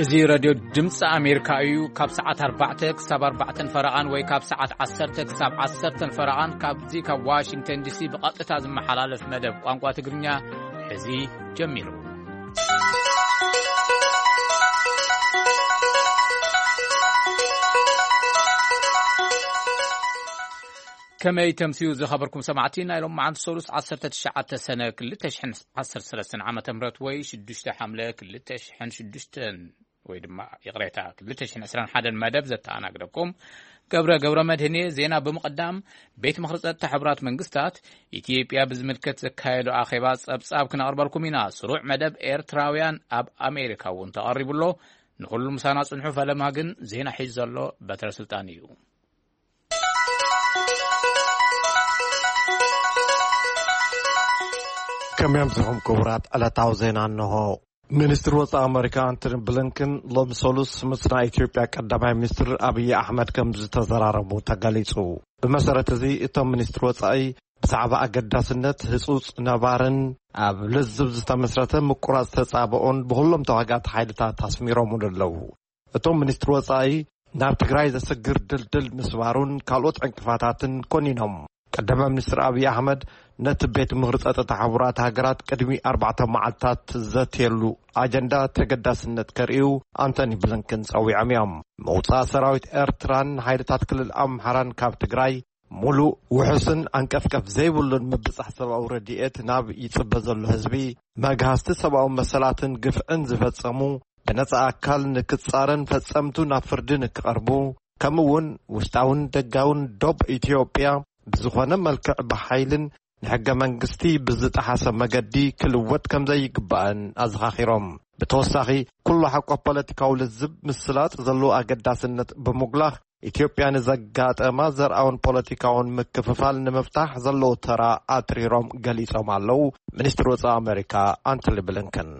እዚ ሬድዮ ድምፂ ኣሜሪካ እዩ። ካብ ሰዓት ኣርባዕተ ክሳብ ኣርባዕተን ፈረቓን ወይ ካብ ሰዓት ዓሰርተ ክሳብ ዓሰርተን ፈረቓን ካብዚ ካብ ዋሽንግተን ዲሲ ብቐጥታ ዝመሓላለፍ መደብ ቋንቋ ትግርኛ ሕዚ ጀሚሩ። ከመይ ተምስዩ ዝኸበርኩም ሰማዕቲ፣ ናይ ሎም መዓልቲ ሰሉስ ዓሰርተ ትሽዓተ ሰነ ክልተ ሽሕን ዓሰርተ ሰለስተን ዓመተ ምህረት ወይ ሽዱሽተ ሓምለ ክልተ ሽሕን ሽዱሽተን ወይ ድማ ይቕሬታ ክልተ ሽሕን ዕስራን ሓደን መደብ ዘተኣናግደኩም ገብረ ገብረ መድህን እየ። ዜና ብምቕዳም፣ ቤት ምኽሪ ጸጥታ ሕቡራት መንግስታት ኢትዮጵያ ብዝምልከት ዘካየዶ ኣኼባ ጸብጻብ ክነቕርበልኩም ኢና። ስሩዕ መደብ ኤርትራውያን ኣብ ኣሜሪካ እውን ተቐሪቡ ኣሎ። ንኹሉ ምሳና ጽንሑ፣ ፈለማ ግን ዜና ሒዙ ዘሎ በትረ ስልጣን እዩ። ከመይ ኣምሲኹም ክቡራት? ዕለታዊ ዜና እንሆ። ሚኒስትሪ ወጻኢ ኣመሪካ ኣንቶኒ ብሊንከን ሎሚ ሰሉስ ምስ ናይ ኢትዮጵያ ቀዳማይ ሚኒስትር ኣብይ ኣሕመድ ከም ዝተዘራረቡ ተገሊጹ። ብመሰረት እዚ እቶም ሚኒስትሪ ወጻኢ ብዛዕባ ኣገዳስነት ህጹጽ ነባርን ኣብ ልዝብ ዝተመስረተ ምቁራጽ ተጻብኦን ብኹሎም ተዋጋእቲ ሓይልታት ኣስሚሮምሉ ኣለዉ። እቶም ሚኒስትሪ ወጻኢ ናብ ትግራይ ዘስግር ድልድል ምስባሩን ካልኦት ዕንቅፋታትን ኮኒኖም። ቀዳማይ ሚኒስትር ኣብይ ኣሕመድ ነቲ ቤት ምኽሪ ጸጥታ ሕቡራት ሃገራት ቅድሚ ኣርባዕተ መዓልታት ዘትየሉ ኣጀንዳ ተገዳስነት ከርእዩ ኣንቶኒ ብሊንከን ጸዊዖም እዮም። ምውጻእ ሰራዊት ኤርትራን ሓይልታት ክልል ኣምሓራን ካብ ትግራይ፣ ሙሉእ ውሑስን ኣንቀፍቀፍ ዘይብሉን ምብጻሕ ሰብኣዊ ረድኤት ናብ ይጽበ ዘሎ ህዝቢ፣ መግሃስቲ ሰብኣዊ መሰላትን ግፍዕን ዝፈጸሙ ብነጻ ኣካል ንክጻረን ፈጸምቱ ናብ ፍርዲ ንክቐርቡ፣ ከምኡ እውን ውሽጣውን ደጋውን ዶብ ኢትዮጵያ ብዝኾነ መልክዕ ብሓይልን ንሕገ መንግስቲ ብዝጠሓሰ መገዲ ክልወጥ ከም ዘይግባእን ኣዘኻኺሮም። ብተወሳኺ፣ ኩሉ ሓቆ ፖለቲካዊ ልዝብ ምስላጥ ዘለዎ ኣገዳስነት ብምጉላኽ፣ ኢትዮጵያ ንዘጋጠማ ዘርኣውን ፖለቲካውን ምክፍፋል ንምፍታሕ ዘለዎ ተራ ኣትሪሮም ገሊጾም ኣለዉ። ሚኒስትሪ ወጻኢ ኣመሪካ ኣንቶኒ ብሊንከን፣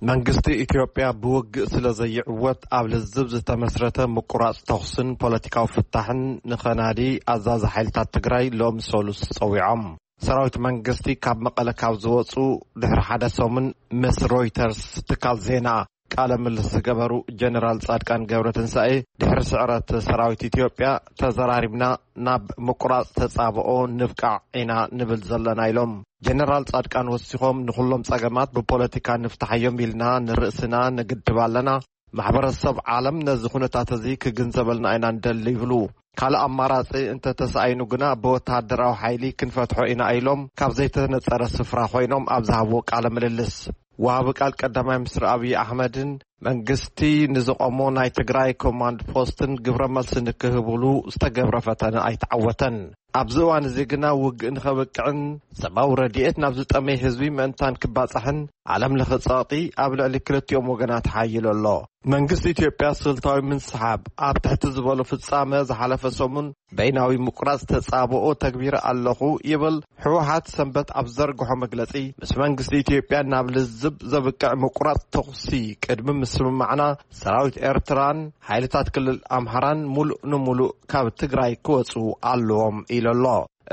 መንግስቲ ኢትዮጵያ ብውግእ ስለ ዘይዕወት፣ ኣብ ልዝብ ዝተመስረተ ምቁራጽ ተኹስን ፖለቲካዊ ፍታሕን ንኸናዲ ኣዛዚ ሓይልታት ትግራይ ሎሚ ሰሉስ ጸዊዖም። ሰራዊት መንግስቲ ካብ መቐለ ካብ ዝወጹ ድሕሪ ሓደ ሰሙን፣ ምስ ሮይተርስ ትካል ዜና ቃለ ምልልስ ዝገበሩ ጀነራል ጻድቃን ገብረትንሳኤ፣ ድሕሪ ስዕረት ሰራዊት ኢትዮጵያ ተዘራሪብና ናብ ምቁራጽ ተጻብኦ ንብቃዕ ኢና ንብል ዘለና ኢሎም። ጀነራል ጻድቃን ወሲኾም፣ ንኹሎም ጸገማት ብፖለቲካ ንፍታሓዮም ኢልና ንርእስና ንግድብ ኣለና። ማሕበረሰብ ዓለም ነዚ ኩነታት እዚ ክግንዘበልና ኢና ንደሊ ይብሉ። ካልእ ኣማራጺ እንተተሳኢኑ ግና ብወተሃደራዊ ሓይሊ ክንፈትሖ ኢና ኢሎም ካብ ዘይተነጸረ ስፍራ ኮይኖም ኣብ ዝሃብዎ ቃለ ምልልስ። ወሃቢ ቃል ቀዳማይ ሚኒስትር ኣብይ ኣሕመድን መንግስቲ ንዝቖሞ ናይ ትግራይ ኮማንድ ፖስትን ግብረ መልሲ ንክህብሉ ዝተገብረ ፈተነ ኣይተዓወተን። ኣብዚ እዋን እዚ ግና ውግእ ንኸብቅዕን ሰብኣዊ ረድኤት ናብ ዝጠመየ ህዝቢ ምእንታን ክባጻሕን ዓለም ለኸ ጸቕጢ ኣብ ልዕሊ ክልቲኦም ወገናት ሓይሉ ኣሎ። መንግስቲ ኢትዮጵያ ስልታዊ ምንስሓብ ኣብ ትሕቲ ዝበሎ ፍጻመ ዝሓለፈ ሰሙን በይናዊ ምቁራጽ ተጻብኦ ተግቢረ ኣለኹ ይብል። ህወሓት ሰንበት ኣብ ዘርግሖ መግለጺ፣ ምስ መንግስቲ ኢትዮጵያ ናብ ልዝብ ዘብቅዕ ምቁራጽ ተኹሲ ቅድሚ ምስምማዕና፣ ሰራዊት ኤርትራን ሓይልታት ክልል ኣምሓራን ሙሉእ ንሙሉእ ካብ ትግራይ ክወጹ ኣለዎም ኢሉ ኣሎ።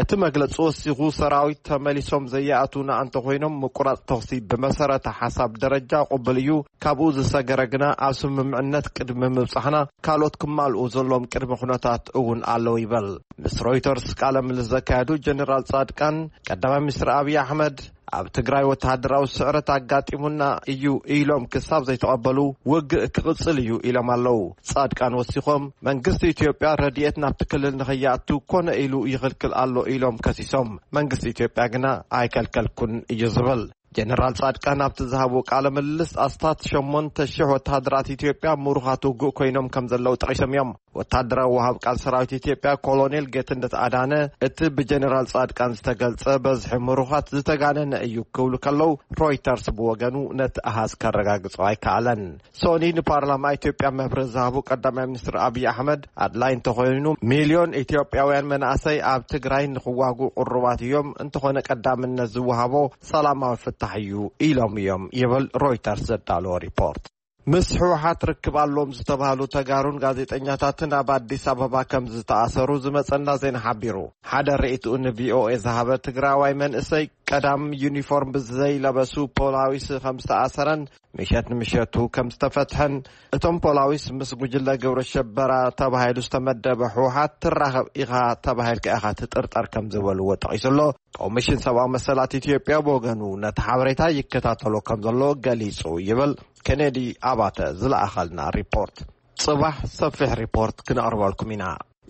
እቲ መግለጺ ወሲኹ፣ ሰራዊት ተመሊሶም ዘይኣትዉና እንተኾይኖም፣ ምቁራጽ ተኹሲ ብመሰረተ ሓሳብ ደረጃ ቅቡል እዩ። ካብኡ ዝሰገረ ግና፣ ኣብ ስምምዕነት ቅድሚ ምብጻሕና፣ ካልኦት ክማልኡ ዘለዎም ቅድመ ኩነታት እውን ኣለዉ ይበል። ምስ ሮይተርስ ቃለ ምልልስ ዘካየዱ ጀነራል ጻድቃን፣ ቀዳማይ ሚኒስትር ኣብይ ኣሕመድ ኣብ ትግራይ ወተሃደራዊ ስዕረት ኣጋጢሙና እዩ ኢሎም ክሳብ ዘይተቐበሉ፣ ውግእ ክቕጽል እዩ ኢሎም ኣለዉ። ጻድቃን ወሲኾም፣ መንግስቲ ኢትዮጵያ ረድኤት ናብቲ ክልል ንኸይኣቱ ኮነ ኢሉ ይኽልክል ኣሎ ኢሎም ከሲሶም፣ መንግስቲ ኢትዮጵያ ግና ኣይከልከልኩን እዩ ዝብል። ጀነራል ጻድቃን ኣብቲ ዝሃብዎ ቃለ ምልልስ፣ ኣስታት ሸሞንተ ሽሕ ወተሃደራት ኢትዮጵያ ምሩኻት ውግእ ኮይኖም ከም ዘለዉ ጠቒሶም እዮም። ወተሃደራዊ ወሃብ ቃል ሰራዊት ኢትዮጵያ ኮሎኔል ጌትነት ኣዳነ፣ እቲ ብጀነራል ጻድቃን ዝተገልጸ በዝሒ ምሩኻት ዝተጋነነ እዩ ክብሉ ከለዉ፣ ሮይተርስ ብወገኑ ነቲ ኣሃዝ ከረጋግጾ ኣይከኣለን። ሶኒ ንፓርላማ ኢትዮጵያ መብርሂ ዝሃቡ ቀዳማይ ሚኒስትር ኣብይ ኣሕመድ፣ ኣድላይ እንተኾይኑ፣ ሚልዮን ኢትዮጵያውያን መናእሰይ ኣብ ትግራይ ንኽዋግኡ ቅሩባት እዮም፣ እንተኾነ ቀዳምነት ዝወሃቦ ሰላማዊ ፍታሕ እዩ ኢሎም እዮም ይብል ሮይተርስ ዘዳለዎ ሪፖርት። ምስ ህወሓት ርክብ ኣለዎም ዝተባህሉ ተጋሩን ጋዜጠኛታትን ኣብ ኣዲስ ኣበባ ከም ዝተኣሰሩ ዝመጸና ዜና ሓቢሩ። ሓደ ርእይትኡ ንቪኦኤ ዝሃበ ትግራዋይ መንእሰይ፣ ቀዳም ዩኒፎርም ብዘይለበሱ ፖላዊስ ከም ዝተኣሰረን ምሸት ንምሸቱ ከም ዝተፈትሐን፣ እቶም ፖላዊስ ምስ ጉጅለ ግብረ ሸበራ ተባሂሉ ዝተመደበ ህወሓት ትራኸብ ኢኻ ተባሂልካ ኢኻ ትጥርጠር ከም ዝበልዎ ጠቒሱ ኣሎ። ኮሚሽን ሰብኣዊ መሰላት ኢትዮጵያ ብወገኑ ነቲ ሓበሬታ ይከታተሎ ከም ዘሎ ገሊጹ ይብል ኬኔዲ ኣባተ ዝለኣኸልና ሪፖርት። ጽባሕ ሰፊሕ ሪፖርት ክነቕርበልኩም ኢና።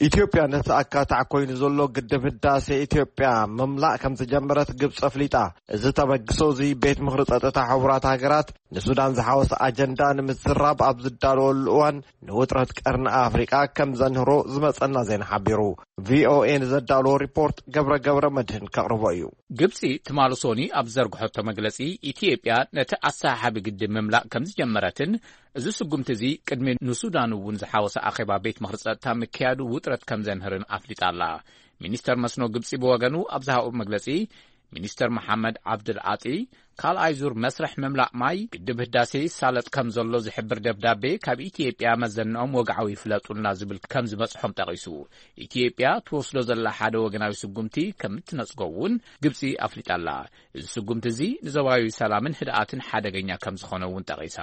ኢትዮጵያ ነቲ ኣካታዕ ኮይኑ ዘሎ ግድብ ህዳሴ ኢትዮጵያ ምምላእ ከም ዝጀመረት ግብፂ ኣፍሊጣ። እዚ ተበግሶ እዚ ቤት ምኽሪ ጸጥታ ሕቡራት ሃገራት ንሱዳን ዝሓወሰ ኣጀንዳ ንምዝራብ ኣብ ዝዳለወሉ እዋን ንውጥረት ቀርኒ ኣፍሪቃ ከም ዘንህሮ ዝመጸና ዜና ሓቢሩ። ቪኦኤ ንዘዳለዎ ሪፖርት ገብረ ገብረ መድህን ከቕርቦ እዩ። ግብጺ ትማሊ ሶኒ ኣብ ዘርግሐቶ መግለጺ፣ ኢትዮጵያ ነቲ ኣሰሓሓቢ ግድብ ምምላእ ከም ዝጀመረትን፣ እዚ ስጉምቲ እዚ ቅድሚ ንሱዳን እውን ዝሓወሰ ኣኼባ ቤት ምኽሪ ጸጥታ ምክያዱ ውጥረት ከም ዘንህርን ኣፍሊጣ ኣላ። ሚኒስተር መስኖ ግብጺ ብወገኑ ኣብ ዝሃቦ መግለጺ፣ ሚኒስተር መሓመድ ዓብድል ዓጢ፣ ካልኣይ ዙር መስርሕ ምምላእ ማይ ግድብ ህዳሴ ይሳለጥ ከም ዘሎ ዝሕብር ደብዳቤ ካብ ኢትዮጵያ መዘንኦም ወግዓዊ ይፍለጡልና ዝብል ከም ዝበጽሖም ጠቒሱ፣ ኢትዮጵያ ትወስዶ ዘላ ሓደ ወገናዊ ስጉምቲ ከም እትነጽጎ እውን ግብጺ ኣፍሊጣ ኣላ። እዚ ስጉምቲ እዚ ንዞባዊ ሰላምን ህድኣትን ሓደገኛ ከም ዝኾነ እውን ጠቒሳ።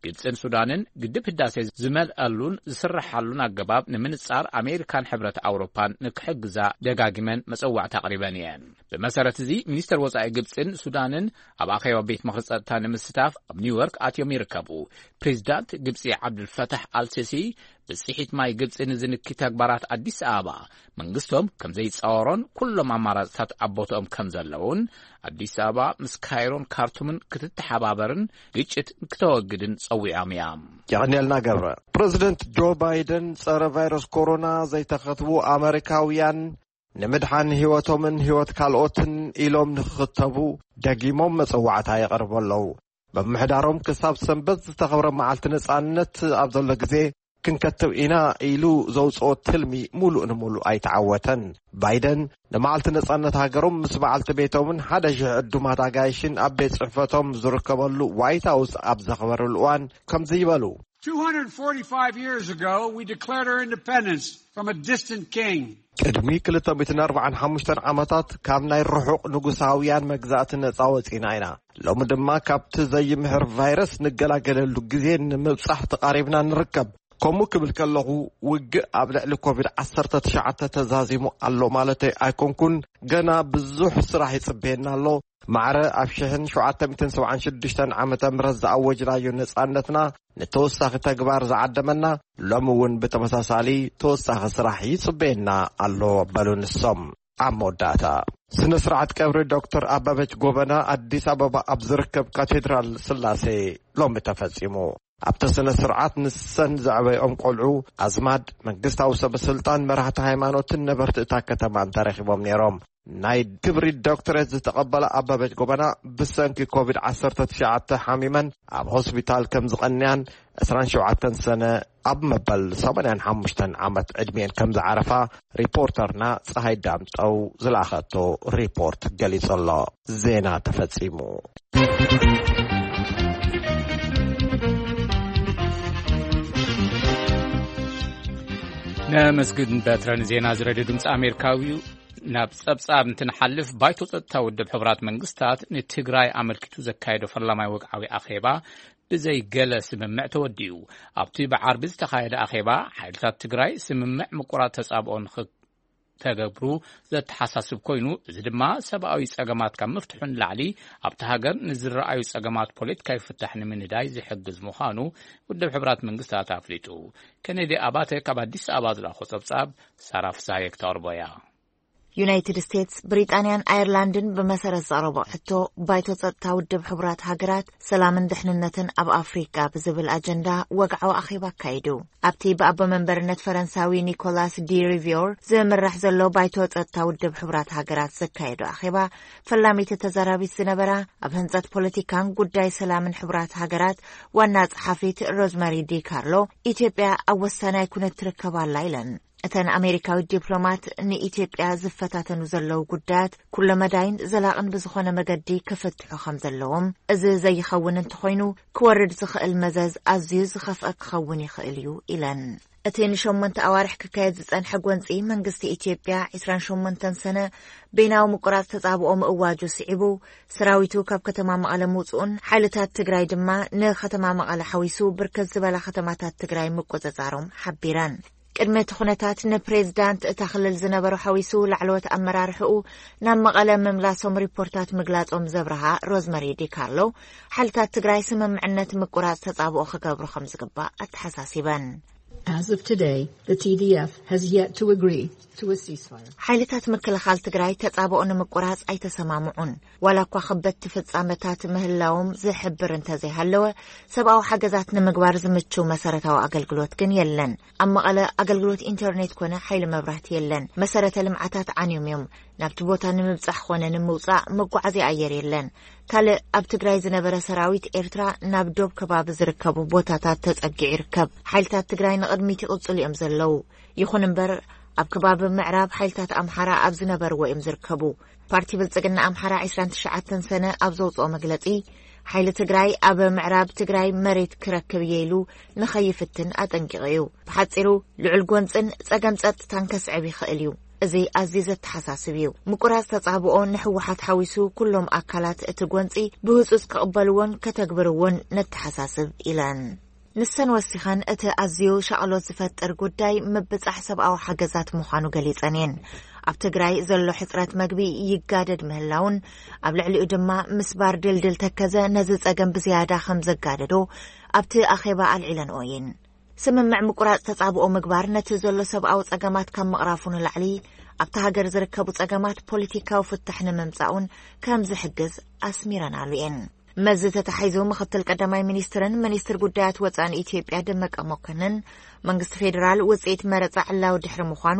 ግብጽን ሱዳንን ግድብ ህዳሴ ዝመልኣሉን ዝስረሓሉን ኣገባብ ንምንጻር ኣሜሪካን ሕብረት ኣውሮፓን ንክሕግዛ ደጋጊመን መጸዋዕታ ኣቕሪበን እየን። ብመሰረት እዚ፣ ሚኒስተር ወጻኢ ግብጽን ሱዳንን ኣብ ኣኼባ ቤት ምኽሪ ጸጥታ ንምስታፍ ኣብ ኒውዮርክ ኣትዮም ይርከቡ። ፕሬዚዳንት ግብጺ ዓብዱልፈታሕ ኣልሲሲ፣ ብጽሒት ማይ ግብጺ ንዝንኪ ተግባራት ኣዲስ ኣበባ መንግስቶም ከም ዘይጻወሮን ኩሎም ኣማራጽታት ኣብ ቦትኦም ከም ዘለውን፣ ኣዲስ ኣበባ ምስ ካይሮን ካርቱምን ክትተሓባበርን ግጭት ክተወግድን ጸዊዖም እያ። የቐንየልና ገብረ። ፕረዚደንት ጆ ባይደን ጸረ ቫይረስ ኮሮና ዘይተኸትቡ ኣመሪካውያን ንምድሓን ህይወቶምን ህይወት ካልኦትን ኢሎም ንክኽተቡ ደጊሞም መጸዋዕታ የቐርቡ ኣለዉ። ምምሕዳሮም ክሳብ ሰንበት ዝተኸብረ መዓልቲ ነጻነት ኣብ ዘሎ ግዜ ክንከትብ ኢና ኢሉ ዘውጽኦ ትልሚ ሙሉእ ንሙሉእ ኣይተዓወተን። ባይደን ንመዓልቲ ነጻነት ሃገሮም ምስ በዓልቲ ቤቶምን ሓደ ሽሕ ዕዱማት ኣጋይሽን ኣብ ቤት ጽሕፈቶም ዝርከበሉ ዋይት ሃውስ ኣብ ዘኽበረሉ እዋን ከምዚ ይበሉ። Two hundred forty-five years ago, we declared our independence from a distant king. ቅድሚ ክልተ ሚእትን ኣርባዓን ሓሙሽተን ዓመታት ካብ ናይ ርሑቕ ንጉሳውያን መግዛእቲ ነጻ ወጺና ኢና። ሎሚ ድማ ካብቲ ዘይምሕር ቫይረስ ንገላገለሉ ግዜ ንምብጻሕ ተቓሪብና ንርከብ። ከምኡ ክብል ከለኹ፣ ውግእ ኣብ ልዕሊ ኮቪድ ዓሰርተ ትሽዓተ ተዛዚሙ ኣሎ ማለተይ ኣይኮንኩን። ገና ብዙሕ ስራሕ ይጽበየና ኣሎ። ማዕረ ኣብ ሽሕን ሸውዓተ ሚእትን ሰብዓን ሽዱሽተን ዓመተ ምህረት ዝኣወጅናዮ ነጻነትና ንተወሳኺ ተግባር ዝዓደመና፣ ሎሚ እውን ብተመሳሳሊ ተወሳኺ ስራሕ ይጽበየና ኣሎ፣ በሉ ንሶም። ኣብ መወዳእታ፣ ስነ ስርዓት ቀብሪ ዶክተር ኣበበች ጎበና ኣዲስ ኣበባ ኣብ ዝርከብ ካቴድራል ስላሴ ሎሚ ተፈጺሙ። ኣብቲ ስነ ስርዓት ንሰን ዘዕበይኦም ቆልዑ፣ ኣዝማድ፣ መንግስታዊ ሰበስልጣን፣ መራሕቲ ሃይማኖትን ነበርቲ እታ ከተማን ተረኺቦም ነይሮም። ናይ ክብሪ ዶክተሬት ዝተቐበላ ኣበበች ጎበና፣ ብሰንኪ ኮቪድ ዓሰርተ ትሽዓተ ሓሚመን ኣብ ሆስፒታል ከም ዝቐንያን፣ ዕስራን ሸውዓተን ሰነ ኣብ መበል ሰማንያን ሓሙሽተን ዓመት ዕድሜን ከም ዝዓረፋ ሪፖርተርና ፀሃይ ዳምጠው ዝለኣኸቶ ሪፖርት ገሊጹ ኣሎ። ዜና ተፈጺሙ። ነመስግን በትረን ዜና ዝረድዮ ድምፂ ኣሜሪካዊ። ናብ ጸብጻብ እንትንሓልፍ፣ ባይቶ ጸጥታ ውድብ ሕቡራት መንግስታት ንትግራይ ኣመልኪቱ ዘካየዶ ፈላማይ ወግዓዊ ኣኼባ ብዘይ ገለ ስምምዕ ተወዲኡ። ኣብቲ ብዓርቢ ዝተኻየደ ኣኼባ፣ ሓይልታት ትግራይ ስምምዕ ምቁራጽ ተጻብኦ ንኽተገብሩ ዘተሓሳስብ ኮይኑ፣ እዚ ድማ ሰብኣዊ ጸገማት ካብ ምፍትሑ ንላዕሊ ኣብቲ ሃገር ንዝረኣዩ ጸገማት ፖለቲካዊ ፍታሕ ንምንዳይ ዝሕግዝ ምዃኑ ውድብ ሕቡራት መንግስታት ኣፍሊጡ። ኬኔዲ ኣባተ ካብ ኣዲስ ኣበባ ዝለኣኾ ጸብጻብ ሳራ ፍስሃየ ክተቕርቦ እያ። ዩናይትድ ስቴትስ፣ ብሪጣንያን ኣየርላንድን ብመሰረት ዘቕረቦ ሕቶ፣ ባይቶ ጸጥታ ውድብ ሕቡራት ሃገራት ሰላምን ድሕንነትን ኣብ ኣፍሪቃ ብዝብል ኣጀንዳ ወግዓዊ ኣኼባ ኣካይዱ። ኣብቲ ብኣቦ መንበርነት ፈረንሳዊ ኒኮላስ ዲ ሪቪዮር ዝምራሕ ዘሎ ባይቶ ጸጥታ ውድብ ሕቡራት ሃገራት ዘካየዶ ኣኼባ፣ ፈላሚት ተዛራቢት ዝነበራ ኣብ ህንጸት ፖለቲካን ጉዳይ ሰላምን ሕቡራት ሃገራት ዋና ጸሓፊት ሮዝመሪ ዲ ካርሎ፣ ኢትዮጵያ ኣብ ወሳናይ ኩነት ትርከብ ኣላ ኢለን። እተን ኣሜሪካዊት ዲፕሎማት ንኢትዮጵያ ዝፈታተኑ ዘለዉ ጉዳያት ኩለመዳይን ዘላቕን ብዝኾነ መገዲ ክፍትሑ ከም ዘለዎም፣ እዚ ዘይኸውን እንተኾይኑ ክወርድ ዝኽእል መዘዝ ኣዝዩ ዝኸፍአ ክኸውን ይኽእል እዩ ኢለን። እቲ ንሸሞንተ ኣዋርሕ ክካየድ ዝጸንሐ ጎንጺ መንግስቲ ኢትዮጵያ ዕስራን ሸሞንተን ሰነ በይናዊ ምቁራጽ ተጻብኦ ምእዋጁ ስዒቡ፣ ሰራዊቱ ካብ ከተማ መቐለ ምውጽኡን ሓይልታት ትግራይ ድማ ንከተማ መቐለ ሓዊሱ ብርከት ዝበላ ከተማታት ትግራይ ምቁጽጻሮም ሓቢረን። ቅድሚ እቲ ኩነታት ንፕሬዝዳንት እታ ክልል ዝነበሩ ሓዊሱ ላዕለዎት ኣመራርሕኡ ናብ መቐለ ምምላሶም ሪፖርታት ምግላጾም ዘብርሃ ሮዝመሪ ዲካርሎ፣ ሓይልታት ትግራይ ስምምዕነት ምቁራጽ ተጻብኦ ክገብሩ ከም ዝግባእ ኣተሓሳሲበን። As of today, the T D F has yet to agree to a ceasefire. ሓይልታት ምክልኻል ትግራይ ተጻብኦ ንምቁራጽ ኣይተሰማምዑን። ዋላ እኳ ከበድቲ ፍጻመታት ምህላዎም ዝሕብር እንተዘይሃለወ፣ ሰብኣዊ ሓገዛት ንምግባር ዝምችው መሰረታዊ ኣገልግሎት ግን የለን። ኣብ መቐለ ኣገልግሎት ኢንተርኔት ኮነ ሓይሊ መብራህቲ የለን። መሰረተ ልምዓታት ዓንዮም እዮም። ናብቲ ቦታ ንምብጻሕ ኮነ ንምውጻእ መጓዓዝያ ኣየር የለን። ካልእ ኣብ ትግራይ ዝነበረ ሰራዊት ኤርትራ ናብ ዶብ ከባቢ ዝርከቡ ቦታታት ተጸጊዑ ይርከብ። ሓይልታት ትግራይ ንቕድሚት ይቕጽሉ እዮም ዘለዉ። ይኹን እምበር፣ ኣብ ከባቢ ምዕራብ ሓይልታት ኣምሓራ ኣብ ዝነበርዎ እዮም ዝርከቡ። ፓርቲ ብልጽግና ኣምሓራ ዕስራን ትሽዓተን ሰነ ኣብ ዘውጽኦ መግለጺ፣ ሓይሊ ትግራይ ኣብ ምዕራብ ትግራይ መሬት ክረክብ እየ ኢሉ ንኸይፍትን ኣጠንቂቑ እዩ። ብሓጺሩ፣ ልዑል ጎንጽን ጸገም ጸጥታን ከስዕብ ይኽእል እዩ። እዚ ኣዝዩ ዘተሓሳስብ እዩ። ምቁራጽ ተጻብኦ ንህወሓት ሓዊሱ ኩሎም ኣካላት እቲ ጎንጺ ብህጹጽ ክቕበልዎን ከተግብርዎን ነተሓሳስብ ኢለን። ንሰን ወሲኸን፣ እቲ ኣዝዩ ሻቕሎት ዝፈጥር ጉዳይ ምብጻሕ ሰብኣዊ ሓገዛት ምዃኑ ገሊጸን እየን። ኣብ ትግራይ ዘሎ ሕጽረት መግቢ ይጋደድ ምህላውን ኣብ ልዕሊኡ ድማ ምስባር ድልድል ተከዘ ነዚ ጸገም ብዝያዳ ከም ዘጋደዶ ኣብቲ ኣኼባ ኣልዒለንኦ እየን። ስምምዕ ምቁራጽ ተጻብኦ ምግባር ነቲ ዘሎ ሰብኣዊ ጸገማት ካብ ምቕራፉ ንላዕሊ ኣብቲ ሃገር ዝርከቡ ጸገማት ፖለቲካዊ ፍታሕ ንምምጻእ እውን ከም ዝሕግዝ ኣስሚረናሉ እየን። መዚ ተታሒዙ ምኽትል ቀዳማይ ሚኒስትርን ሚኒስትር ጉዳያት ወጻእን ኢትዮጵያ ደመቀ መኮንን፣ መንግስቲ ፌዴራል ውጽኢት መረጻ ዕላዊ ድሕሪ ምዃኑ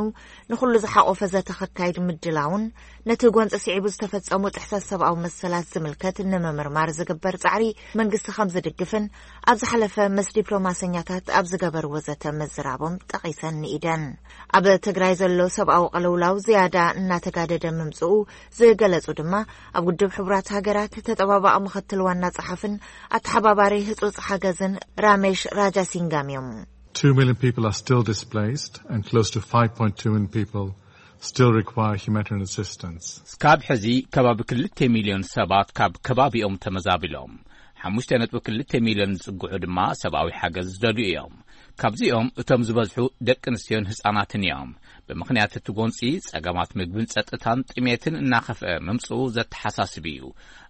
ንኹሉ ዝሓቆፈ ዘተ ከካይድ ምድላውን ነቲ ጎንፂ ስዒቡ ዝተፈጸሙ ጥሕሰት ሰብኣዊ መሰላት ዝምልከት ንምምርማር ዝግበር ጻዕሪ መንግስቲ ከም ዝድግፍን ኣብ ዝሓለፈ ምስ ዲፕሎማሰኛታት ኣብ ዝገበርዎ ዘተ ምዝራቦም ጠቒሰን ንኢደን። ኣብ ትግራይ ዘሎ ሰብኣዊ ቅልውላው ዝያዳ እናተጋደደ ምምፅኡ ዝገለጹ ድማ ኣብ ውድብ ሕቡራት ሃገራት ተጠባባቒ ምኽትል ዋና ጸሓፍን ኣተሓባባሪ ህጹጽ ሓገዝን ራሜሽ ራጃሲንጋም እዮም። Two million people are still displaced and close to five point two million people still require humanitarian assistance. እስካብ ሕዚ ከባቢ ክልተ ሚልዮን ሰባት ካብ ከባቢኦም ተመዛቢሎም፣ ሓሙሽተ ነጥቢ ክልተ ሚልዮን ዝጽግዑ ድማ ሰብኣዊ ሓገዝ ዝደልዩ እዮም። ካብዚኦም እቶም ዝበዝሑ ደቂ ኣንስትዮን ህጻናትን እዮም። ብምኽንያት እቲ ጎንጺ፣ ጸገማት ምግብን ጸጥታን ጥሜትን እናኸፍአ ምምጽኡ ዘተሓሳስብ እዩ።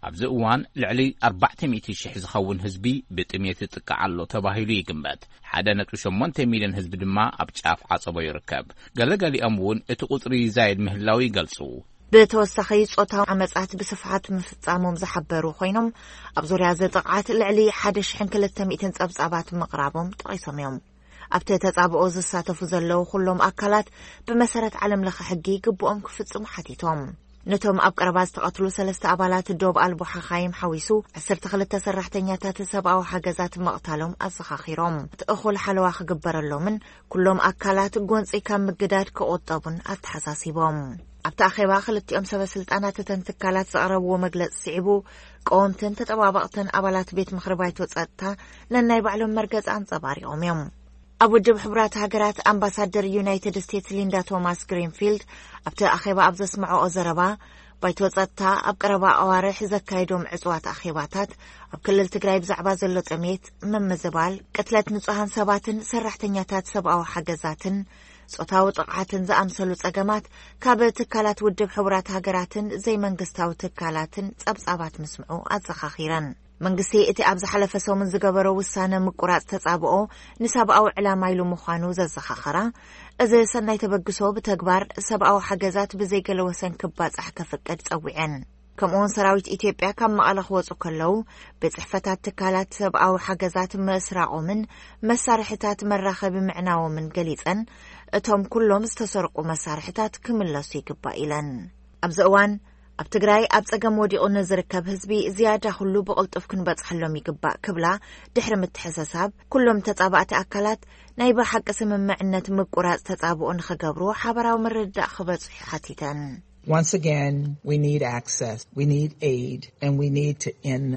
ኣብዚ እዋን ልዕሊ ኣርባዕተ ሚእቲ ሽሕ ዝኸውን ህዝቢ ብጥሜት ይጥቃዕ ኣሎ ተባሂሉ ይግመት። ሓደ ነጥቢ ሸሞንተ ሚልዮን ህዝቢ ድማ ኣብ ጫፍ ዓጸቦ ይርከብ። ገለገሊኦም እውን እቲ ቁጽሪ ይዛየድ ምህላው ይገልጹ። ብተወሳኺ፣ ጾታዊ ዓመጻት ብስፍሓት ምፍጻሞም ዝሓበሩ ኮይኖም፣ ኣብ ዙርያ እዚ ጥቕዓት ልዕሊ ሓደ ሽሕን ክልተ ሚእትን ጸብጻባት ምቕራቦም ጠቒሶም እዮም። ኣብቲ ተጻብኦ ዝሳተፉ ዘለዉ ኩሎም ኣካላት ብመሰረት ዓለም ለኸ ሕጊ ግቡኦም ክፍጽሙ ሓቲቶም። ነቶም ኣብ ቀረባ ዝተቐትሉ ሰለስተ ኣባላት ዶብ ኣልቦ ሓኻይም ሓዊሱ ዓሰርተ ክልተ ሰራሕተኛታት ሰብኣዊ ሓገዛት ምቕታሎም ኣዘኻኺሮም። እቲ እኹል ሓለዋ ክግበረሎምን ኩሎም ኣካላት ጎንፂ ካብ ምግዳድ ክቑጠቡን ኣተሓሳሲቦም። ኣብቲ ኣኼባ ክልቲኦም ሰበ ስልጣናት እተን ትካላት ዘቕረብዎ መግለፂ ስዒቡ፣ ቀወምትን ተጠባበቕትን ኣባላት ቤት ምኽሪ ባይቶ ጸጥታ ነናይ ባዕሎም መርገጺ ኣንጸባሪቖም እዮም። ኣብ ውድብ ሕቡራት ሃገራት ኣምባሳደር ዩናይትድ ስቴትስ ሊንዳ ቶማስ ግሪንፊልድ ኣብቲ ኣኼባ ኣብ ዘስምዐኦ ዘረባ፣ ባይቶ ጸጥታ ኣብ ቀረባ ኣዋርሕ ዘካየዶም ዕጹዋት ኣኼባታት ኣብ ክልል ትግራይ ብዛዕባ ዘሎ ጥሜት፣ ምምዝባል፣ ቅትለት ንጹሃን ሰባትን ሰራሕተኛታት ሰብኣዊ ሓገዛትን ጾታዊ ጥቕዓትን ዝኣምሰሉ ጸገማት ካብ ትካላት ውድብ ሕቡራት ሃገራትን ዘይመንግስታዊ ትካላትን ጸብጻባት ምስምዑ ኣዘኻኺረን። መንግስቲ እቲ ኣብ ዝሓለፈ ሰሙን ዝገበሮ ውሳነ ምቁራጽ ተጻብኦ ንሰብኣዊ ዕላማ ኢሉ ምዃኑ ዘዘኻኸራ፣ እዚ ሰናይ ተበግሶ ብተግባር ሰብኣዊ ሓገዛት ብዘይገለ ወሰን ክባጻሕ ከፍቅድ ጸዊዐን። ከምኡውን ሰራዊት ኢትዮጵያ ካብ መቐለ ክወጹ ከለዉ፣ ቤት ጽሕፈታት ትካላት ሰብኣዊ ሓገዛት ምስራቖምን መሳርሕታት መራኸቢ ምዕናዎምን ገሊጸን፣ እቶም ኩሎም ዝተሰርቁ መሳርሕታት ክምለሱ ይግባእ ኢለን። ኣብዚ እዋን ኣብ ትግራይ ኣብ ጸገም ወዲቑ ንዝርከብ ህዝቢ ዝያዳ ኩሉ ብቕልጡፍ ክንበጽሐሎም ይግባእ ክብላ ድሕሪ ምትሕሰሳብ፣ ኩሎም ተጻባእቲ ኣካላት ናይ ብሓቂ ስምምዕነት ምቁራጽ ተጻብኦ ንኽገብሩ ሓበራዊ ምርድዳእ ክበጽሑ ሓቲተን። Once again, we need access, we need aid, and we need to end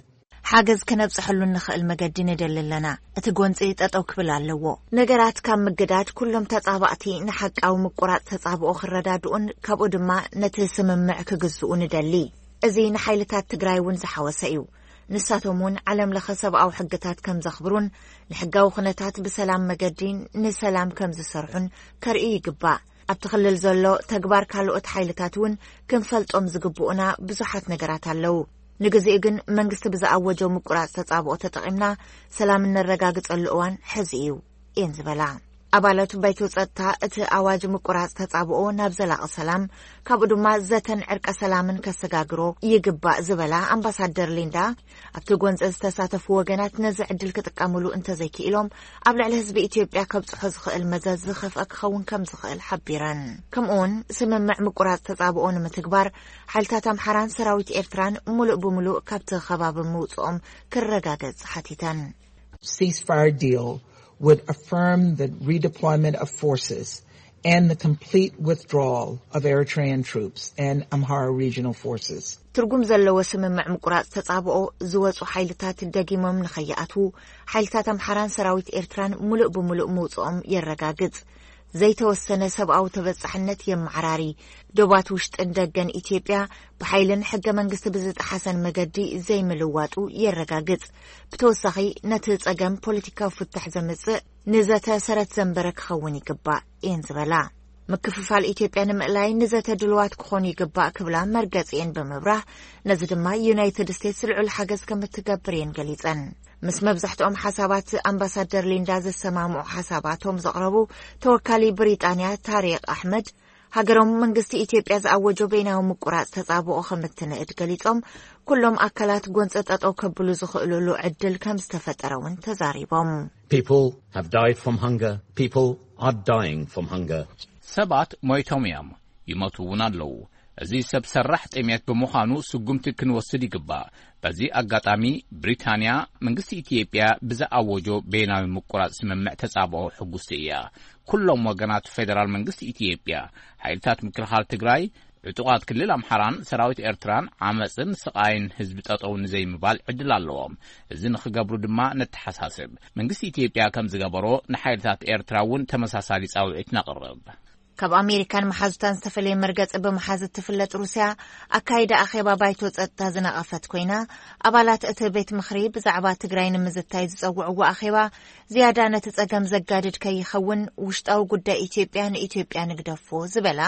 ሓገዝ ከነብጽሐሉ እንኽእል መገዲ ንደሊ ኣለና። እቲ ጎንጺ ጠጠው ክብል ኣለዎ። ነገራት ካብ ምግዳድ ኩሎም ተጻባእቲ ንሓቃዊ ምቁራጽ ተጻብኦ ክረዳድኡን ካብኡ ድማ ነቲ ስምምዕ ክግዝኡ ንደሊ። እዚ ንሓይልታት ትግራይ እውን ዝሓወሰ እዩ። ንሳቶም እውን ዓለም ለኸ ሰብኣዊ ሕግታት ከም ዘኽብሩን ንሕጋዊ ኩነታት ብሰላም መገዲ ንሰላም ከም ዝሰርሑን ከርእዩ ይግባእ። ኣብቲ ክልል ዘሎ ተግባር ካልኦት ሓይልታት እውን ክንፈልጦም ዝግብኡና ብዙሓት ነገራት ኣለዉ። ንግዜኡ ግን መንግስቲ ብዝኣወጆ ምቁራጽ ተጻብኦ ተጠቒምና ሰላም እነረጋግጸሉ እዋን ሕዚ እዩ እየን ዝበላ። ኣባላት ባይቶ ጸጥታ እቲ ኣዋጅ ምቁራጽ ተጻብኦ ናብ ዘላቒ ሰላም፣ ካብኡ ድማ ዘተን ዕርቀ ሰላምን ከሰጋግሮ ይግባእ ዝበላ ኣምባሳደር ሊንዳ፣ ኣብቲ ጎንፂ ዝተሳተፉ ወገናት ነዚ ዕድል ክጥቀምሉ እንተዘይክኢሎም ኣብ ልዕሊ ህዝቢ ኢትዮጵያ ከብፅሖ ዝኽእል መዘዝ ዝኸፍአ ክኸውን ከም ዝኽእል ሓቢረን። ከምኡውን ስምምዕ ምቁራጽ ተጻብኦ ንምትግባር ሓይልታት ኣምሓራን ሰራዊት ኤርትራን ሙሉእ ብሙሉእ ካብቲ ከባቢ ምውፅኦም ክረጋገጽ ሓቲተን። ceasefire deal would affirm the redeployment of forces and the complete withdrawal of Eritrean troops and Amhara regional forces. ትርጉም ዘለዎ ስምምዕ ምቁራጽ ተጻብኦ ዝወጹ ሓይልታት ደጊሞም ንኸይኣትዉ ሓይልታት ኣምሓራን ሰራዊት ኤርትራን ሙሉእ ብሙሉእ ምውጽኦም የረጋግጽ። ዘይተወሰነ ሰብኣዊ ተበጻሕነት የመዓራሪ። ዶባት ውሽጥን ደገን ኢትዮጵያ ብሓይልን ሕገ መንግስቲ ብዝጠሓሰን መገዲ ዘይምልዋጡ የረጋግጽ። ብተወሳኺ ነቲ ጸገም ፖለቲካዊ ፍታሕ ዘምጽእ ንዘተ ሰረት ዘንበረ ክኸውን ይግባእ እየን ዝበላ። ምክፍፋል ኢትዮጵያ ንምእላይ ንዘተ ድልዋት ክኾኑ ይግባእ ክብላ መርገጺ እየን ብምብራህ፣ ነዚ ድማ ዩናይትድ ስቴትስ ልዑል ሓገዝ ከም እትገብር እየን ገሊጸን። ምስ መብዛሕትኦም ሓሳባት ኣምባሳደር ሊንዳ ዘሰማምዑ ሓሳባቶም ዘቕረቡ ተወካሊ ብሪጣንያ ታሪቅ ኣሕመድ፣ ሃገሮም መንግስቲ ኢትዮጵያ ዝኣወጆ በይናዊ ምቁራጽ ተጻብኦ ከም እትንእድ ገሊጾም፣ ኩሎም ኣካላት ጎንጸ ጠጠው ከብሉ ዝኽእሉሉ ዕድል ከም ዝተፈጠረ እውን ተዛሪቦም። People have died from hunger. People are dying from hunger. ሰባት ሞይቶም እዮም፣ ይሞቱ እውን ኣለዉ። እዚ ሰብ ሰራሕ ጥሜት ብምዃኑ ስጉምቲ ክንወስድ ይግባእ። በዚ ኣጋጣሚ ብሪታንያ መንግስቲ ኢትዮጵያ ብዝኣወጆ በይናዊ ምቁራጽ ስምምዕ ተጻብኦ ሕጉስቲ እያ። ኩሎም ወገናት ፌደራል መንግስቲ ኢትዮጵያ፣ ሓይልታት ምክልኻል ትግራይ፣ ዕጡቓት ክልል ኣምሓራን ሰራዊት ኤርትራን ዓመፅን ስቓይን ህዝቢ ጠጠው ንዘይምባል ዕድል ኣለዎም። እዚ ንኽገብሩ ድማ ነተሓሳስብ። መንግስቲ ኢትዮጵያ ከም ዝገበሮ ንሓይልታት ኤርትራ እውን ተመሳሳሊ ፃውዒት ነቕርብ። ካብ ኣሜሪካን መሓዙታን ዝተፈለየ መርገፂ ብምሓዝ እትፍለጥ ሩስያ ኣካይዳ ኣኼባ ባይቶ ፀጥታ ዝነቐፈት ኮይና፣ ኣባላት እቲ ቤት ምኽሪ ብዛዕባ ትግራይ ንምዝታይ ዝፀውዕዎ ኣኼባ ዝያዳ ነቲ ጸገም ዘጋድድ ከይኸውን ውሽጣዊ ጉዳይ ኢትዮጵያ ንኢትዮጵያ ንግደፎ ዝበላ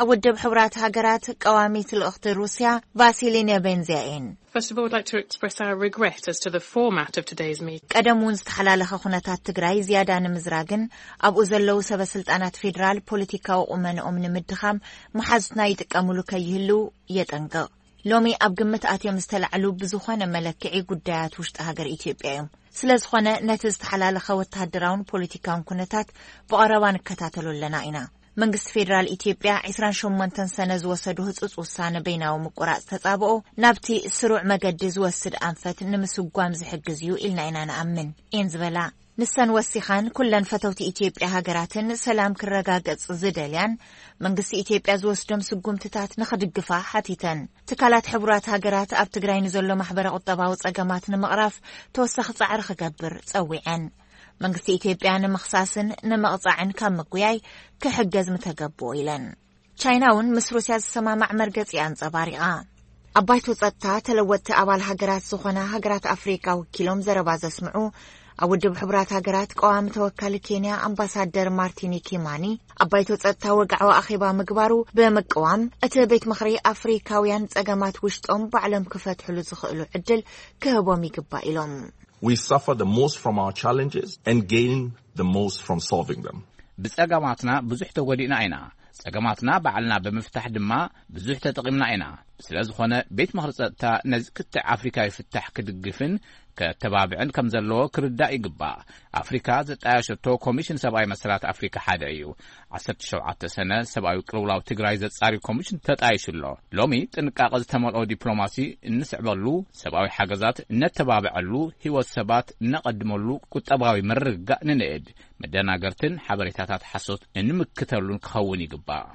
ኣብ ውድብ ሕቡራት ሃገራት ቀዋሚት ልእኽቲ ሩስያ ቫሲሊ ኔቤንዚያ እየን። First of all, I'd like to express our regret as to the format of today's meeting. ቀደም እውን ዝተሓላለኸ ኩነታት ትግራይ ዝያዳ ንምዝራግን ኣብኡ ዘለዉ ሰበ ስልጣናት ፌዴራል ፖለቲካዊ ቁመንኦም ንምድኻም መሓዙትና ይጥቀምሉ ከይህልው የጠንቅቕ። ሎሚ ኣብ ግምት ኣትዮም ዝተላዕሉ ብዝኾነ መለክዒ ጉዳያት ውሽጢ ሃገር ኢትዮጵያ እዮም። ስለ ዝኾነ ነቲ ዝተሓላለኸ ወተሃደራውን ፖለቲካውን ኩነታት ብቐረባ ንከታተሎ ኣለና ኢና። መንግስቲ ፌዴራል ኢትዮጵያ ዕስራን ሸሞንተን ሰነ ዝወሰዶ ህጹጽ ውሳነ በይናዊ ምቁራጽ ተጻብኦ ናብቲ ስሩዕ መገዲ ዝወስድ ኣንፈት ንምስጓም ዝሕግዝ እዩ ኢልና ኢና ንኣምን እየን ዝበላ። ንሰን ወሲኻን ኩለን ፈተውቲ ኢትዮጵያ ሃገራትን ሰላም ክረጋገጽ ዝደልያን መንግስቲ ኢትዮጵያ ዝወስዶም ስጉምትታት ንኽድግፋ ሓቲተን። ትካላት ሕቡራት ሃገራት ኣብ ትግራይ ንዘሎ ማሕበረ ቁጠባዊ ጸገማት ንምቕራፍ ተወሳኺ ጻዕሪ ክገብር ጸዊዐን። መንግስቲ ኢትዮጵያ ንምኽሳስን ንምቕጻዕን ካብ ምጉያይ ክሕገዝ ምተገብኦ ኢለን። ቻይና እውን ምስ ሩስያ ዝሰማማዕ መርገጺ ኣንጸባሪቓ። ኣብ ባይቶ ጸጥታ ተለወጥቲ ኣባል ሃገራት ዝኾና ሃገራት ኣፍሪቃ ወኪሎም ዘረባ ዘስምዑ ኣብ ውድብ ሕቡራት ሃገራት ቀዋሚ ተወካሊ ኬንያ ኣምባሳደር ማርቲኒ ኪማኒ ኣብ ባይቶ ጸጥታ ወግዓዊ ኣኼባ ምግባሩ ብምቅዋም እቲ ቤት ምኽሪ ኣፍሪካውያን ጸገማት ውሽጦም ባዕሎም ክፈትሕሉ ዝኽእሉ ዕድል ክህቦም ይግባእ ኢሎም። We suffer the most from our challenges and gain the most from solving them. ብጸገማትና ብዙሕ ተጎዲእና ኢና። ጸገማትና ባዕልና ብምፍታሕ ድማ ብዙሕ ተጠቒምና ኢና። ስለ ዝኾነ ቤት ምኽሪ ጸጥታ ነዚ ክትዕ ኣፍሪካዊ ፍታሕ ክድግፍን ከተባብዕን ከም ዘለዎ ክርዳእ ይግባእ። ኣፍሪካ ዘጣየሸቶ ኮሚሽን ሰብኣዊ መሰላት ኣፍሪካ ሓደ እዩ። ዓሰርተ ሸውዓተ ሰነ ሰብኣዊ ቅልውላው ትግራይ ዘጻሪ ኮሚሽን ተጣይሹ ኣሎ። ሎሚ ጥንቃቐ ዝተመልኦ ዲፕሎማሲ እንስዕበሉ፣ ሰብኣዊ ሓገዛት እነተባብዐሉ፣ ህይወት ሰባት እነቐድመሉ ቁጠባዊ ምርግጋእ ንንእድ። መደናገርትን ሓበሬታታት ሓሶት እንምክተሉን ክኸውን ይግባእ።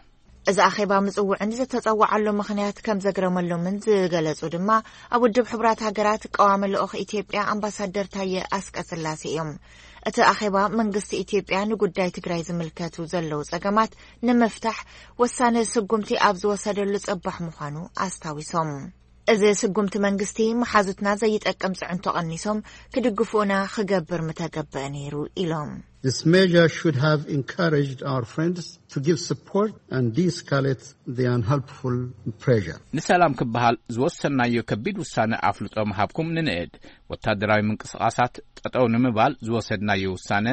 እዚ ኣኼባ ምጽውዕን ዝተጸዋዓሉ ምኽንያት ከም ዘግረመሎምን ዝገለጹ ድማ ኣብ ውድብ ሕቡራት ሃገራት ቀዋሚ ልኡኽ ኢትዮጵያ ኣምባሳደር ታየ ኣስቀስላሴ እዮም። እቲ ኣኼባ መንግስቲ ኢትዮጵያ ንጉዳይ ትግራይ ዝምልከቱ ዘለዉ ጸገማት ንምፍታሕ ወሳኒ ስጉምቲ ኣብ ዝወሰደሉ ጽባሕ ምዃኑ ኣስታዊሶም። እዚ ስጉምቲ መንግስቲ መሓዙትና ዘይጠቅም ጽዕንቶ ቀኒሶም ክድግፉና ክገብር ምተገበአ ነይሩ ኢሎም። This measure should have encouraged our friends to give support and de-escalate the unhelpful pressure. ንሰላም ክበሃል ዝወሰናዮ ከቢድ ውሳነ ኣፍልጦ ምሃብኩም ንንእድ። ወታደራዊ ምንቅስቓሳት ጠጠው ንምባል ዝወሰድናዮ ውሳነ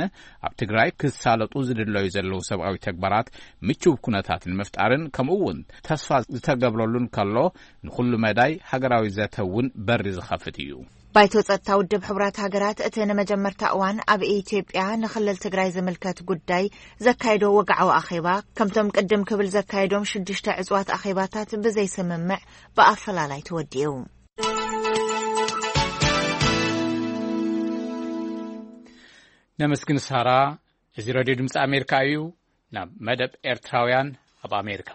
ኣብ ትግራይ ክሳለጡ ዝድለዩ ዘለዉ ሰብኣዊ ተግባራት ምቹው ኩነታት ንምፍጣርን ከምኡ እውን ተስፋ ዝተገብረሉን ከሎ ንኹሉ መዳይ ሃገራዊ ዘተ እውን በሪ ዝኸፍት እዩ። ባይቶ ጸጥታ ውድብ ሕቡራት ሃገራት እቲ ንመጀመርታ እዋን ኣብ ኢትዮጵያ ንክልል ትግራይ ዝምልከት ጉዳይ ዘካየዶ ወግዓዊ ኣኼባ ከምቶም ቅድም ክብል ዘካየዶም ሽዱሽተ ዕጽዋት ኣኼባታት ብዘይስምምዕ ብኣፈላላይ ተወዲኡ። ነመስግን ሳራ። እዚ ሬድዮ ድምፂ ኣሜሪካ እዩ። ናብ መደብ ኤርትራውያን ኣብ ኣሜሪካ።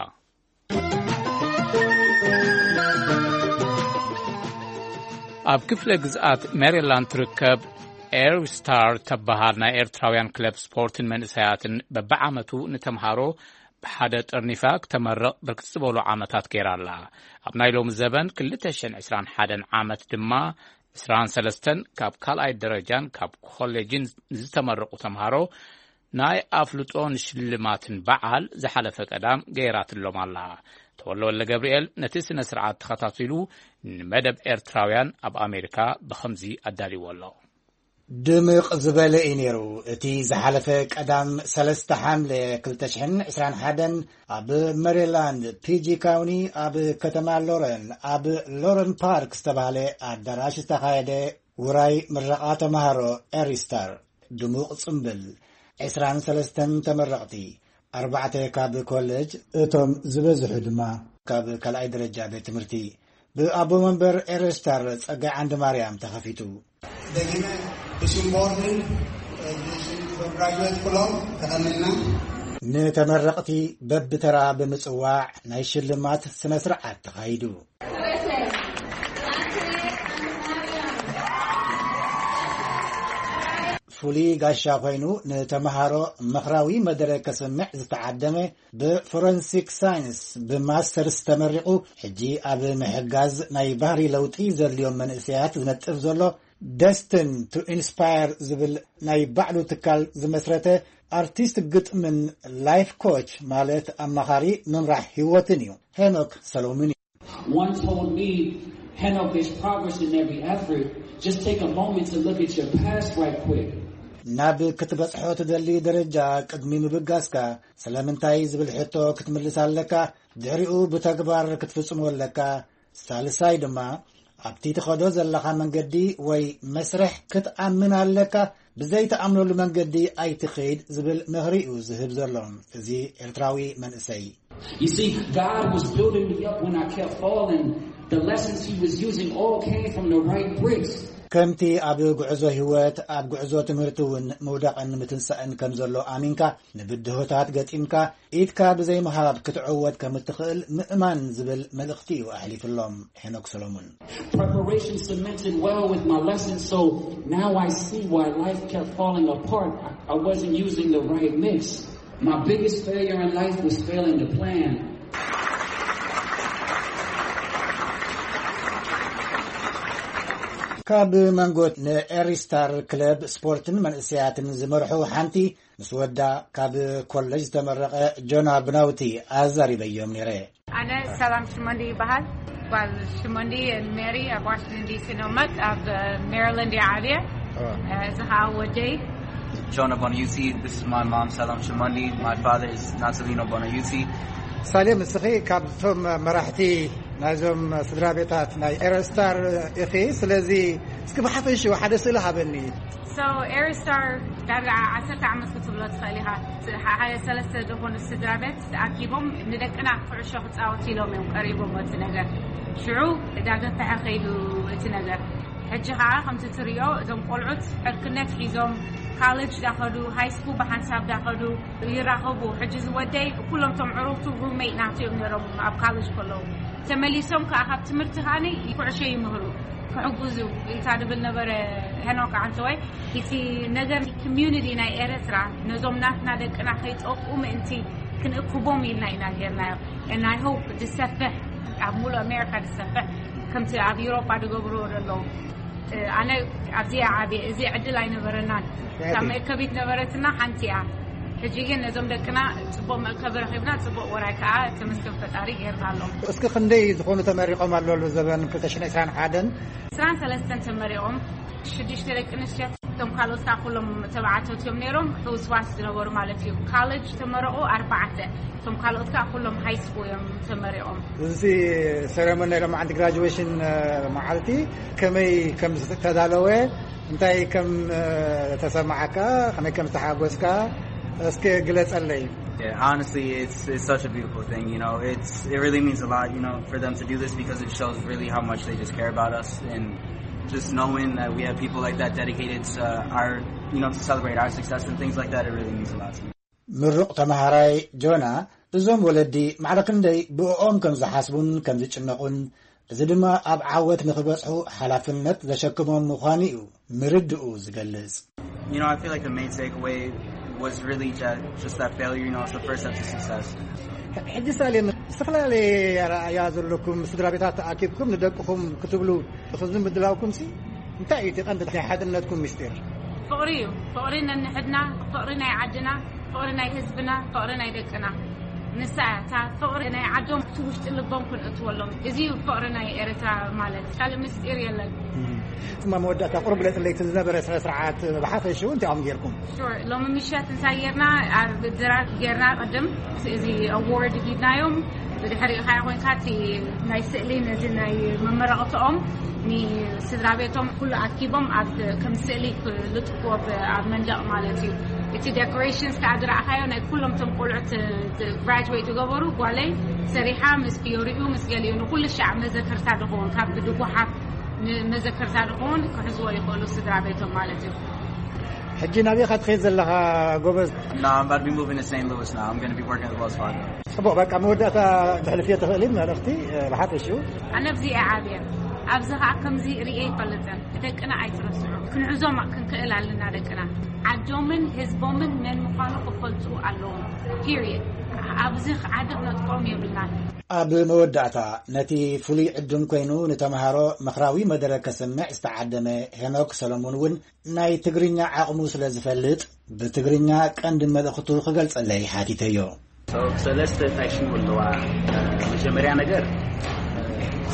ኣብ ክፍለ ግዝኣት ሜሪላንድ ትርከብ ኤር ስታር ተበሃል ናይ ኤርትራውያን ክለብ ስፖርትን መንእሰያትን በብዓመቱ ንተምሃሮ ብሓደ ጠርኒፋ ክተመርቕ ብርክት ዝበሉ ዓመታት ገይራ ኣላ። ኣብ ናይ ሎሚ ዘበን ክልተ ሽሕን ዕስራን ሓደን ዓመት ድማ ዕስራን ሰለስተን ካብ ካልኣይ ደረጃን ካብ ኮሌጅን ዝተመረቑ ተምሃሮ ናይ ኣፍልጦን ሽልማትን በዓል ዝሓለፈ ቀዳም ገይራትሎም ኣላ። ተወልደ ወልደ ገብርኤል ነቲ ስነ ስርዓት ተኸታቲሉ ንመደብ ኤርትራውያን ኣብ ኣሜሪካ ብኸምዚ ኣዳልይዎ ኣሎ። ድምቕ ዝበለ እዩ ነይሩ። እቲ ዝሓለፈ ቀዳም ሰለስተ ሓምለ ክልተ ሽሕን ዕስራን ሓደን ኣብ መሪላንድ ፒጂ ካውኒ ኣብ ከተማ ሎረን ኣብ ሎረን ፓርክ ዝተባህለ ኣዳራሽ ዝተኻየደ ውራይ ምረቓ ተምሃሮ ኤሪስታር ድሙቕ ጽምብል፣ ዕስራን ሰለስተን ተመረቕቲ፣ ኣርባዕተ ካብ ኮሌጅ፣ እቶም ዝበዝሑ ድማ ካብ ካልኣይ ደረጃ ቤት ትምህርቲ ብኣቦ መንበር ኤረስታር ጸጋይ ዓንዲ ማርያም ተኸፊቱ። ደጊመ ብሽም ቦርድን ብሽም ግራጁዌት ኩሎም ተቐኒልና። ንተመረቕቲ በብተራ ብምጽዋዕ ናይ ሽልማት ስነ ስርዓት ተኻይዱ። ፍሉይ ጋሻ ኮይኑ ንተምሃሮ ምኽራዊ መደረ ከስምዕ ዝተዓደመ ብፎረንሲክ ሳይንስ ብማስተርስ ተመሪቑ፣ ሕጂ ኣብ ምሕጋዝ ናይ ባህሪ ለውጢ ዘድልዮም መንእሰያት ዝነጥፍ ዘሎ ደስትን ቱ ኢንስፓየር ዝብል ናይ ባዕሉ ትካል ዝመስረተ ኣርቲስት ግጥምን ላይፍ ኮች ማለት ኣማኻሪ ምምራሕ ህይወትን እዩ። ሄኖክ ሰሎሙን እዩ። One told me, Henok, there's progress in every effort. Just take a moment to look at your past right quick. ናብ ክትበጽሖ ትደሊ ደረጃ ቅድሚ ምብጋስካ ስለምንታይ ዝብል ሕቶ ክትምልስ ኣለካ። ድሕሪኡ ብተግባር ክትፍጽሞ ኣለካ። ሳልሳይ ድማ ኣብቲ ትኸዶ ዘለኻ መንገዲ ወይ መስርሕ ክትኣምን ኣለካ። ብዘይትኣምነሉ መንገዲ ኣይትኸይድ ዝብል ምኽሪ እዩ ዝህብ ዘሎ እዚ ኤርትራዊ መንእሰይ። You see, God was building me up when I kept falling. The lessons he was using all came from the right bricks. ከምቲ ኣብ ጉዕዞ ህይወት ኣብ ጉዕዞ ትምህርቲ እውን ምውዳቕን ምትንሳእን ከም ዘሎ ኣሚንካ ንብድሆታት ገጢምካ ኢድካ ብዘይምሃብ ክትዕወት ከም እትኽእል ምእማን ዝብል መልእኽቲ እዩ ኣሕሊፍሎም ሄኖክ ሰሎሙን። Preparation cemented well with my lessons, so now I see why life kept falling apart. I, I wasn't using the right mix. My biggest failure in life was failing to plan. ካብ መንጎት ንኤሪስታር ክለብ ስፖርትን መንእሰያትን ዝመርሑ ሓንቲ ምስ ወዳ ካብ ኮለጅ ዝተመረቐ ጆና ብናውቲ ኣዛሪበዮም ነይረ። ኣነ ሰላም ሽመንዲ ይበሃል። ጓል ሽመንዲ ሜሪ ኣብ ዋሽንግተን ዲሲ ነው መጥ ኣብ ሜሪላንድ እየ ዓብየ። እዚ ከዓ ወደይ። Jonah Bonaiuti, this is my mom, Salam Shimandi. My father is Nazarino Bonaiuti. ሳሌም፣ እስኺ ካብቶም መራሕቲ ናይዞም ስድራ ቤታት ናይ ኤረስታር ኢኺ። ስለዚ እስኪ ብሓፈሽኡ ሓደ ስእሊ ሃበኒ። So ኤረስታር ዳርጋ ዓሰርተ ዓመት ክትብሎ ትኽእል ኢኻ። ሓደ ሰለስተ ዝኾኑ ስድራ ቤት ተኣኪቦም ንደቅና ኩዕሾ ክጻወቱ ኢሎም እዮም ቀሪቦም እቲ ነገር። ሽዑ ዳገፈሐ ከይዱ እቲ ነገር። ሕጂ ኸዓ ከምቲ ትሪኦ እዞም ቆልዑት ዕርክነት ሒዞም ካለጅ ዳኸዱ፣ ሃይ ስኩል ብሓንሳብ ዳኸዱ፣ ይራኸቡ። ሕጂ ዝወደይ ኩሎም ቶም ዕሩኽቱ ሩሜት ናቸው እዮም ነይሮም ኣብ ካለጅ ከለዉ። ተመሊሶም ከዓ ካብ ትምህርቲ ከዓኒ ኩዕሾ ይምህሩ፣ ክሕግዙ ኢልካ ድብል ነበረ። ሄኖክ ዓንተወይ፣ እቲ ነገር ኮሚዩኒቲ ናይ ኤርትራ ነዞም ናትና ደቅና ከይጠቁ ምእንቲ ክንእክቦም ኢልና ኢና ጌርናዮ። And I hope ዝሰፍሕ፣ ኣብ ሙሉእ ኣሜሪካ ዝሰፍሕ፣ ከምቲ ኣብ ኤውሮጳ ዝገብርዎ ዘለዉ። ኣነ ኣብዚ ዓብየ፣ እዚ ዕድል ኣይነበረናን። እታ መእከቢት ነበረትና ሓንቲ እያ። ሕጂ ግን ነዞም ደቅና ጽቡቕ መእከቢ ረኺብና፣ ጽቡቕ ወራይ ከኣ ተመስገን ፈጣሪ ጌርና ኣሎ። እስኪ ክንደይ ዝኾኑ ተመሪቖም ኣሎ ኣብዚ ዘበን ክልተ ሽሕን ዕስራን ሓደን? ዕስራን ሰለስተን ተመሪቖም፣ ሽዱሽተ ደቂ ኣንስትዮ፣ እቶም ካልኦት ከኣ ኩሎም ተባዕቶት እዮም ነይሮም፣ ሕውስዋስ ዝነበሩ ማለት እዩ። ካለጅ ተመረቑ ኣርባዕተ፣ እቶም ካልኦት ከኣ ኩሎም ሃይ ስኩል እዮም ተመሪቖም። እዚ ሴሬሞኒ ናይ ሎማዓንቲ ግራጁዌሽን፣ እ፣ መዓልቲ ከመይ ከም ዝተዳለወ፣ እንታይ ከም፣ እ፣ ተሰማዓካ፣ ከመይ ከም ዝተሓጎስካ እስኪ ግለጸለይ። Yeah, honestly, it's it's such a beautiful thing. You know, it's it really means a lot. You know, for them to do this because it shows really how much they just care about us, and just knowing that we have people like that dedicated to our, you know, to celebrate our success and things like that, it really means a lot to me. ምሩቕ ተመሃራይ ጆና፣ እዞም ወለዲ ማዕረ ክንደይ ብእኦም ከም ዝሓስቡን ከም ዝጭነቑን፣ እዚ ድማ ኣብ ዓወት ንኽበጽሑ ሓላፍነት ዘሸክሞም ምዃኑ እዩ ምርድኡ ዝገልጽ። You know, I feel like the main takeaway was really that, just that failure, you know, it's the first step to success. ሕጂ ሳሌም፣ ዝተፈላለየ ኣረኣእያ ዘለኩም ስድራ ቤታት ተኣኪብኩም ንደቅኹም ክትብሉ፣ እዚ ምድላውኩም ሲ እንታይ እዩ እቲ ቀንዲ ናይ ሓድነትኩም ምስጢር? ፍቕሪ እዩ። ፍቕሪ ነንሕድና፣ ፍቕሪ ናይ ዓድና፣ ፍቕሪ ናይ ህዝብና፣ ፍቕሪ ናይ ደቅና። ንሳ እያ እታ ፍቕሪ ናይ ዓዶም እቲ ውሽጢ ልቦም ክንእትወሎም። እዚ እዩ ፍቕሪ ናይ ኤርትራ ማለት። ካልእ ምስጢር የለን። እማ መወዳእታ ቁሩብ ግለጽለይ፣ እቲ ዝነበረ ስነ ስርዓት ብሓፈሽኡ እንታይ ኢኹም ጌርኩም? ሹር፣ ሎሚ ምሸት እንታይ ጌርና? ኣብ ድራር ጌርና ቅድም እዚ ኣዋርድ ሂብናዮም። ብድሕሪኡ ኸዓ ኮይንካ እቲ ናይ ስእሊ ነዚ ናይ መመረቕትኦም ንስድራ ቤቶም ኩሉ ኣኪቦም ኣብ ከም ስእሊ ክልጥፍዎ ብ-፣ ኣብ መንደቕ ማለት እዩ። እቲ ዴኮሬሽንስ ከዓ ዝረኣኻዮ ናይ ኩሎም እቶም ቆልዑት ግራጅዌት ዝገበሩ ጓለይ ሰሪሓ ምስ ፒዮሪኡ ምስ ገሊኡ ንኩሉ ሻዕ መዘከርታ ዝኸውን ካብ ብድጉሓት ንመዘከርታ ዝኸውን ክሕዝዎ ይኽእሉ ስድራ ቤቶም ማለት እዩ። ሕጂ ናበይ ኢኻ ትኸይድ ዘለኻ ጎበዝ? No, I'm about to be moving to Saint Louis now. I'm gonna be working at Wells Fargo. ጽቡቕ፣ በቃ መወዳእታ ተሕልፍዮ ትኽእሊ መልእኽቲ፣ እ፣ ብሓፈሽኡ? ኣነ ኣብዚ እየ ዓብየ። ኣብዚ ኸዓ ከምዚ ርእየ ኣይፈልጥን። ደቅና ኣይትረስዑ። ክንሕዞም ክንክእል ኣለና ደቅና። ዓዶምን ህዝቦምን መን ምዃኑ ክፈልጡ ኣለዎም። ፒሪየድ። ኣብዚ ዓዲ ክነጥቆም የብልናን። ኣብ መወዳእታ ነቲ ፍሉይ ዕድም ኮይኑ ንተምሃሮ ምኽራዊ መደረ ከስምዕ ዝተዓደመ ሄኖክ ሰሎሞን እውን ናይ ትግርኛ ዓቕሙ ስለ ዝፈልጥ ብትግርኛ ቀንዲ መልእኽቱ ክገልጸለይ ሓቲተዮ። ሰለስተ እንታይ ሽሙ ኣለዋ? መጀመርያ ነገር፣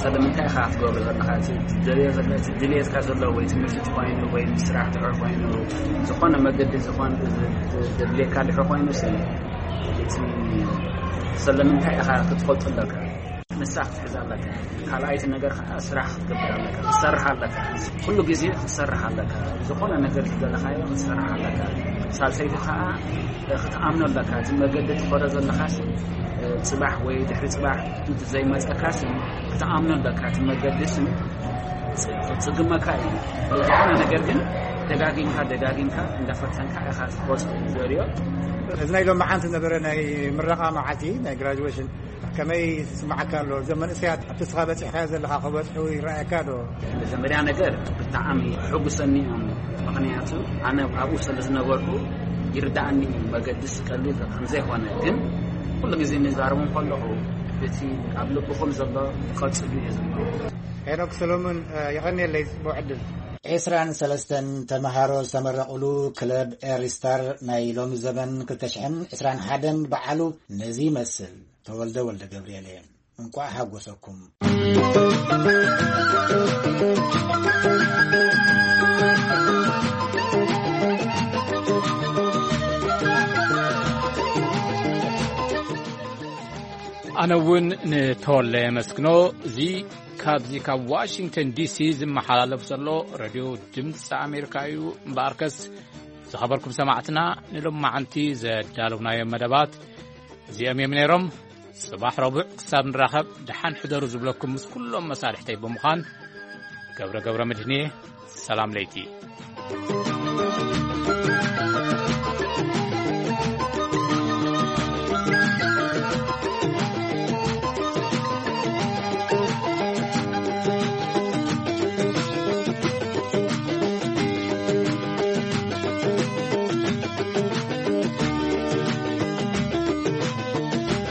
ስለምንታይ ኢኻ ክትገብሮ ዘለኻ? እቲ ትደልዮ ዘለ-፣ እቲ ድልየትካ ዘሎ ወይ ትምህርቲ እንተኾይኑ ወይ ስራሕ እንድሕር ኮይኑ፣ ዝኾነ መገዲ ዝኾነ ዘድልየካ እንድሕር ኮይኑ፣ ሲ-፣ እቲ ስለምንታይ ኢኻ ክትፈልጦ ኣለካ። ንሳ ክትሕዝ ኣለካ። ካልኣይቲ ነገር ከዓ ስራሕ ክትገብር ኣለካ፣ ክትሰርሕ ኣለካ። ኩሉ ግዜ ክትሰርሕ ኣለካ። ዝኾነ ነገር ዝደለኻዮ ክትሰርሕ ኣለካ። ሳልሰይቲ ከዓ ክትኣምኖ ኣለካ። እቲ መገዲ ትኸዶ ዘለኻስ፣ እ፣ ጽባሕ ወይ ድሕሪ ጽባሕ ዘይመጸካስ ክትኣምኖ ኣለካ። እቲ መገዲስ ጽ-፣ ጽግመካ እዩ። ዝኾነ ነገር ግን ደጋጊምካ፣ ደጋጊምካ እንዳፈተንካ ኢኻ ክትወጽኦ ዘርዮ። እዚ ናይ ሎማዓንቲ ዝነበረ ናይ ምረቓ መዓልቲ፣ ናይ ግራጁዌሽን፣ ከመይ ይስምዓካ ኣሎ? እዞም መንእሰያት ኣብቲ ንስኻ በጺሕካዮ ዘለኻ ክበጽሑ ይረኣየካ ዶ? መጀመርያ ነገር ብጣዕሚ ሕጉሰኒ እዮም። ምኽንያቱ ኣነ ኣብኡ ስለ ዝነበርኩ ይርድኣኒ እዩ። መገድስ ቀሊል ከም ዘይኮነ፣ ግን ኩሉ ግዜ ንዛረቦም ከለኹ እቲ ኣብ ልብኹም ዘሎ ቀጽሉ እየ ዝብሎ። ሄኖክ ሰሎሞን፣ የቐንየለይ፣ ጽቡቕ ዕድል። ዕስራን ሰለስተን ተመሃሮ ዝተመረቑሉ ክለብ ኤሪስታር ናይ ሎሚ ዘበን ክልተ ሽሕን ዕስራን ሓደን በዓሉ ነዚ ይመስል። ተወልደ ወልደ ገብርኤል እየ። እንቋዕ ሓጎሰኩም። ኣነ እውን ንተወለ የመስግኖ። እዚ ካብዚ ካብ ዋሽንግተን ዲሲ ዝመሓላለፍ ዘሎ ሬድዮ ድምፂ ኣሜሪካ እዩ። እምበኣርከስ ዝኸበርኩም ሰማዕትና፣ ንሎማዓንቲ ዘዳለውናዮም መደባት እዚኦም እዮም ነይሮም። ጽባሕ ረቡዕ ክሳብ ንራኸብ ደሓን ሕደሩ ዝብለኩም ምስ ኩሎም መሳርሕተይ ብምዃን ገብረ ገብረ መድህንየ፣ ሰላም ለይቲ።